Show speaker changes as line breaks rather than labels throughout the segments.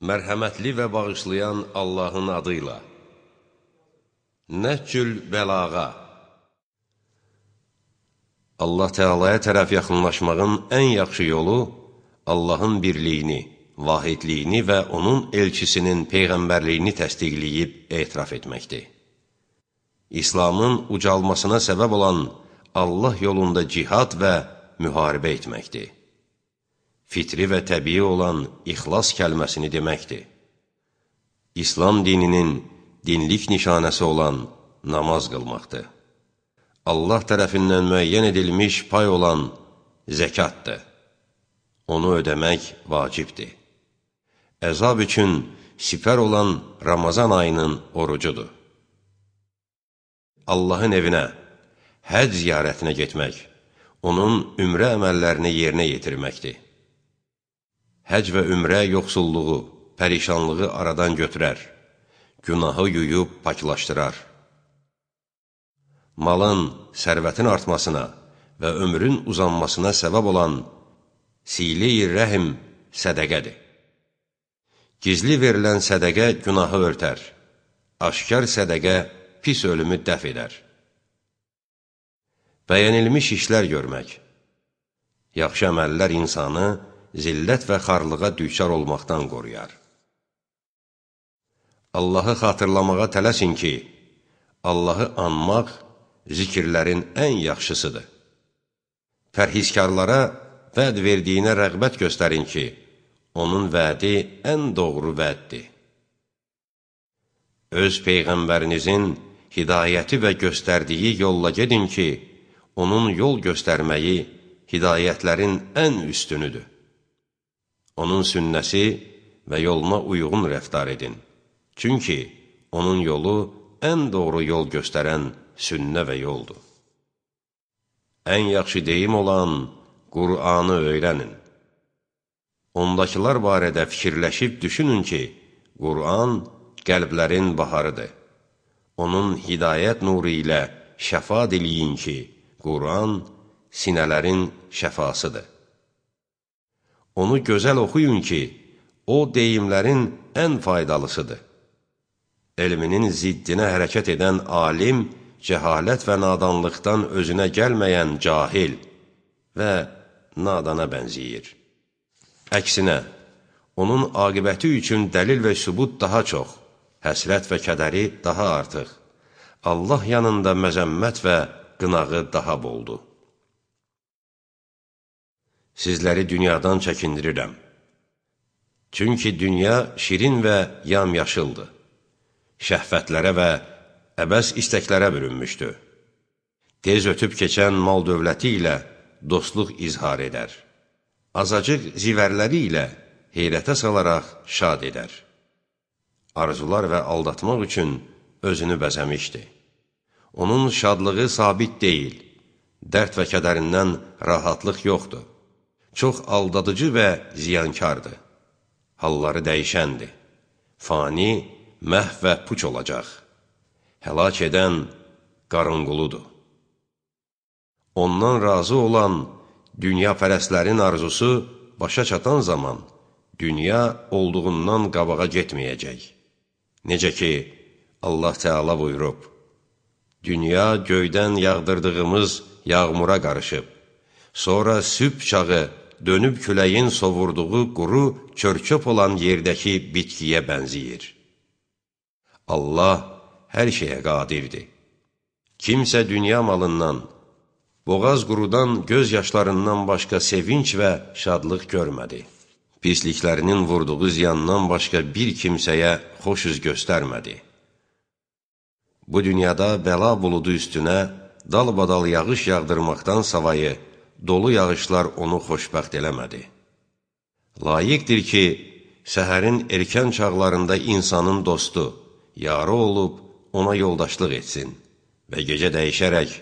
Mərhəmətli və bağışlayan Allahın adıyla. Nəhcül bəlağa. Allah Teala'ya tərəf yaxınlaşmağın ən yaxşı yolu Allahın birliyini, vahidliyini və onun elçisinin peyğəmbərliyini təsdiqləyib etiraf etməkdir. İslamın ucalmasına səbəb olan Allah yolunda cihad və müharibə etməkdir. Fitri və təbii olan ixlas kəlməsini deməkdir. İslam dininin dinlik nişanəsi olan namaz qılmaqdır. Allah tərəfindən müəyyən edilmiş pay olan zəkatdır. Onu ödəmək vacibdir. Əzab üçün sipər olan Ramazan ayının orucudur. Allahın evinə, həc ziyarətinə getmək, onun ümrə əməllərini yerinə yetirməkdir. Həc və ümrə yoxsulluğu, pərişanlığı aradan götürər, günahı yuyub paklaşdırar. Malın, sərvətin artmasına və ömrün uzanmasına səbəb olan sile-i rəhim sədəqədir. Gizli verilən sədəqə günahı örtər, aşkar sədəqə pis ölümü dəf edər. Bəyənilmiş işlər görmək. Yaxşı əməllər insanı zillət və xarlığa düçar olmaqdan qoruyar. Allahı xatırlamağa tələsin ki, Allahı anmaq zikirlərin ən yaxşısıdır. Pərhizkarlara vəd verdiyinə rəğbət göstərin ki, onun vədi ən doğru vəddir. Öz Peyğəmbərinizin hidayəti və göstərdiyi yolla gedin ki, onun yol göstərməyi hidayətlərin ən üstünüdür. Onun sünnəsi və yoluna uyğun rəftar edin. Çünki onun yolu ən doğru yol göstərən sünnə və yoldur. Ən yaxşı deyim olan Qur'anı öyrənin. Ondakılar barədə fikirləşib düşünün ki, Qur'an qəlblərin baharıdır. Onun hidayət nuru ilə şəfa diləyin ki, Qur'an sinələrin şəfasıdır. Onu gözəl oxuyun ki, o deyimlərin ən faydalısıdır. Elminin ziddinə hərəkət edən alim, cəhalət və nadanlıqdan özünə gəlməyən cahil və nadana bənziyir. Əksinə, onun aqibəti üçün dəlil və sübut daha çox, həsrət və kədəri daha artıq, Allah yanında məzəmmət və qınağı daha boldur. Sizləri dünyadan çəkindirirəm. Çünki dünya şirin və yamyaşıldır. Şəhvətlərə və əbəs istəklərə bürünmüşdür. Tez ötüb keçən mal dövləti ilə dostluq izhar edər. Azacıq zivərləri ilə heyrətə salaraq şad edər. Arzular və aldatmaq üçün özünü bəzəmişdi. Onun şadlığı sabit deyil, dərd və kədərindən rahatlıq yoxdur. Çox aldadıcı və ziyankardır. Halları dəyişəndir. Fani, məhv və puç olacaq. Həlak edən qarınquludur. Ondan razı olan dünya pərəstlərin arzusu başa çatan zaman dünya olduğundan qabağa getməyəcək. Necə ki, Allah Teala buyurub, dünya göydən yağdırdığımız yağmura qarışıb, sonra sübh çağı dönüb küləyin sovurduğu quru çörçöp olan yerdəki bitkiyə bənziyir. Allah hər şeyə qadirdir. Kimsə dünya malından, boğaz qurudan göz yaşlarından başqa sevinç və şadlıq görmədi. Pisliklərinin vurduğu ziyandan başqa bir kimsəyə xoş üz göstərmədi. Bu dünyada bəla buludu üstünə dalbadal yağış yağdırmaqdan savayı, dolu yağışlar onu xoşbəxt eləmədi. Layiqdir ki, səhərin erkən çağlarında insanın dostu, yarı olub ona yoldaşlıq etsin və gecə dəyişərək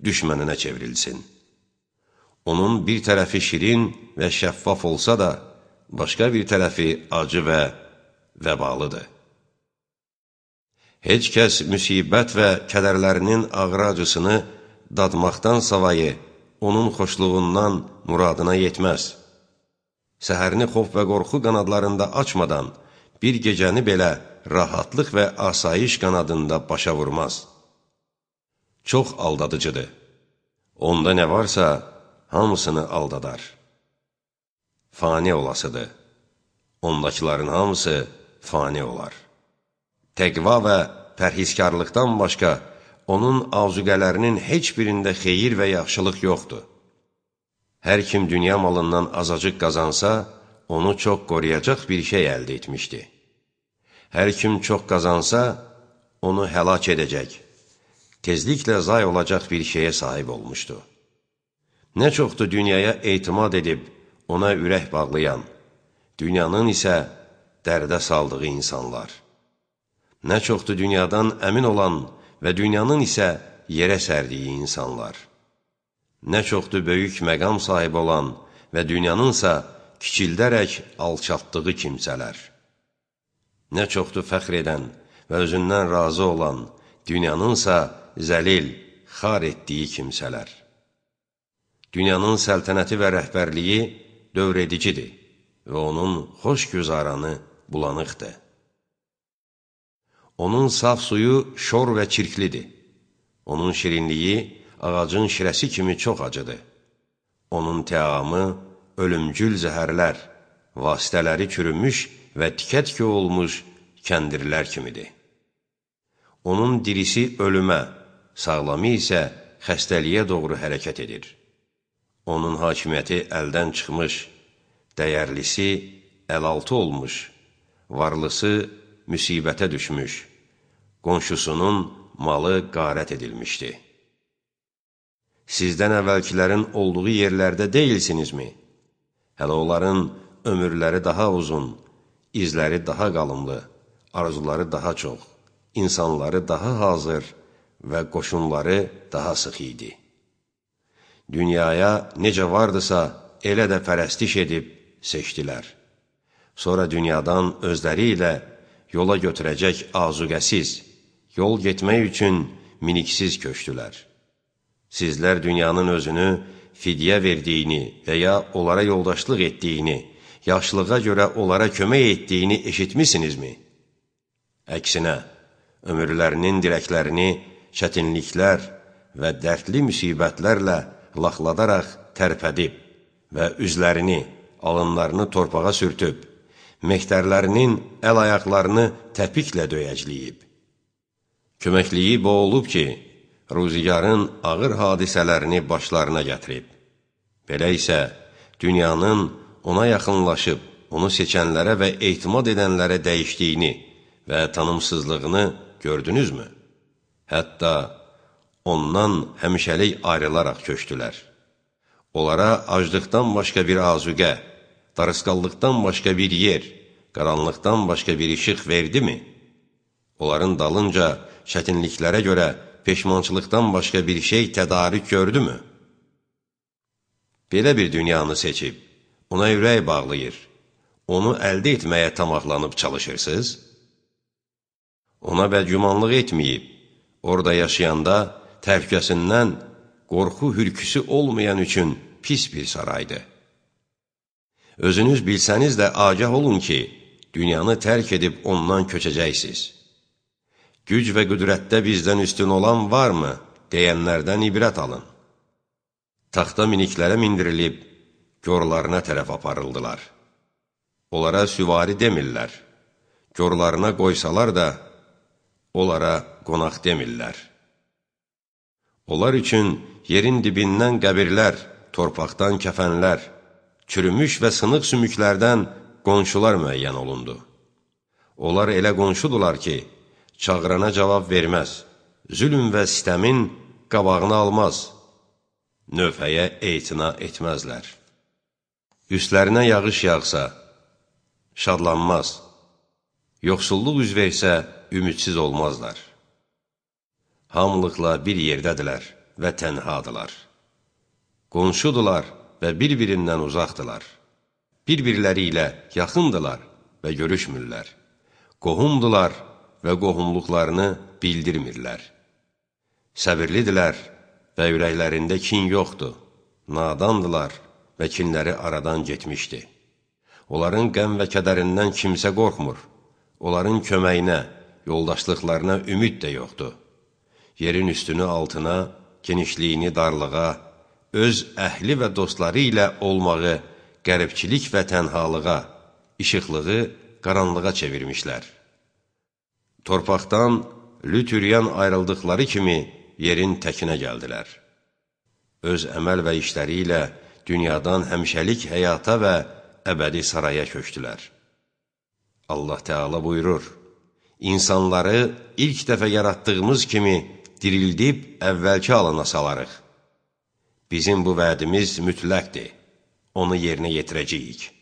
düşməninə çevrilsin. Onun bir tərəfi şirin və şəffaf olsa da, başqa bir tərəfi acı və vəbalıdır. Heç kəs müsibət və kədərlərinin ağır acısını dadmaqdan savayı, onun xoşluğundan muradına yetməz. Səhərini xof və qorxu qanadlarında açmadan, bir gecəni belə rahatlıq və asayiş qanadında başa vurmaz. Çox aldadıcıdır. Onda nə varsa, hamısını aldadar. Fani olasıdır. Ondakıların hamısı fani olar. Təqva və pərhizkarlıqdan başqa, onun azuqələrinin heç birində xeyir və yaxşılıq yoxdur. Hər kim dünya malından azacıq qazansa, onu çox qoruyacaq bir şey əldə etmişdi. Hər kim çox qazansa, onu həlak edəcək, tezliklə zay olacaq bir şeyə sahib olmuşdu. Nə çoxdur dünyaya etimad edib, ona ürək bağlayan, dünyanın isə dərdə saldığı insanlar. Nə çoxdur dünyadan əmin olan və dünyanın isə yerə sərdiyi insanlar. Nə çoxdur böyük məqam sahibi olan və dünyanınsa kiçildərək alçaltdığı kimsələr. Nə çoxdur fəxr edən və özündən razı olan, dünyanınsa zəlil, xar etdiyi kimsələr. Dünyanın səltənəti və rəhbərliyi dövredicidir və onun xoşgüzaranı bulanıqdır. Onun saf suyu şor və çirklidir. Onun şirinliyi ağacın şirəsi kimi çox acıdır. Onun təamı ölümcül zəhərlər, vasitələri çürümüş və tikə-tikə olmuş kəndirlər kimidir. Onun dirisi ölümə, sağlamı isə xəstəliyə doğru hərəkət edir. Onun hakimiyyəti əldən çıxmış, dəyərlisi əlaltı olmuş, varlısı müsibətə düşmüş, qonşusunun malı qarət edilmişdi. Sizdən əvvəlkilərin olduğu yerlərdə deyilsinizmi? Hələ onların ömürləri daha uzun, izləri daha qalınlı, arzuları daha çox, insanları daha hazır və qoşunları daha sıx idi. Dünyaya necə vardısa, elə də pərəstiş edib seçdilər. Sonra dünyadan özləri ilə yola götürəcək azuqəsiz, yol getmək üçün miniksiz köçdülər. Sizlər dünyanın özünü fidyə verdiyini və ya onlara yoldaşlıq etdiyini, yaşlığa görə onlara kömək etdiyini eşitmisinizmi? Əksinə, ömürlərinin dirəklərini çətinliklər və dərdli müsibətlərlə laxladaraq tərpədib və üzlərini, alınlarını torpağa sürtüb, mehtərlərinin əl-ayaqlarını təpiklə döyəcləyib. Köməkliyi bu olub ki, ruzigarın ağır hadisələrini başlarına gətirib. Belə isə, dünyanın ona yaxınlaşıb, onu seçənlərə və etimad edənlərə dəyişdiyini və tanımsızlığını gördünüzmü? Hətta ondan həmişəlik ayrılaraq köçdülər. Onlara aclıqdan başqa bir azuqə, darısqallıqdan başqa bir yer, qaranlıqdan başqa bir işıq verdimi? Onların dalınca çətinliklərə görə peşmançılıqdan başqa bir şey tədarük gördümü? Belə bir dünyanı seçib, ona ürək bağlayır, onu əldə etməyə tamaqlanıb çalışırsınız? Ona bədgümanlıq etməyib, orada yaşayanda təhlükəsindən qorxu hürküsü olmayan üçün pis bir saraydır. Özünüz bilsəniz də agah olun ki, dünyanı tərk edib ondan köçəcəksiniz. Güc və qüdrətdə bizdən üstün olan varmı, deyənlərdən ibrət alın. Taxta miniklərə mindirilib, görlarına tərəf aparıldılar. Onlara süvari demirlər, görlarına qoysalar da, onlara qonaq demirlər. Onlar üçün yerin dibindən qəbirlər, torpaqdan kəfənlər, çürümüş və sınıq sümüklərdən qonşular müəyyən olundu. Onlar elə qonşudular ki, çağırana cavab verməz, zülm və sitəmin qabağını almaz, növhəyə etina etməzlər. Üstlərinə yağış yağsa, şadlanmaz, yoxsulluq üz versə, ümidsiz olmazlar. Hamılıqla bir yerdədirlər və tənhadılar. Qonşudular və bir-birindən uzaqdılar. Bir-birləri ilə yaxındılar və görüşmürlər. Qohumdular və qohumluqlarını bildirmirlər. Səbirlidirlər və ürəklərində kin yoxdur. Nadandılar və kinləri aradan getmişdi. Onların qəm və kədərindən kimsə qorxmur. onların köməyinə, yoldaşlıqlarına ümid də yoxdur. Yerin üstünü altına, genişliyini darlığa, öz əhli və dostları ilə olmağı qəribçilik və tənhalığa, işıqlığı qaranlığa çevirmişlər. Torpaqdan lütüryan ayrıldıqları kimi yerin təkinə gəldilər. Öz əməl və işləri ilə dünyadan həmişəlik həyata və əbədi saraya köçdülər. Allah Teala buyurur, İnsanları ilk dəfə yaratdığımız kimi dirildib əvvəlki alana salarıq. Bizim bu vədimiz mütləqdir, onu yerinə yetirəcəyik.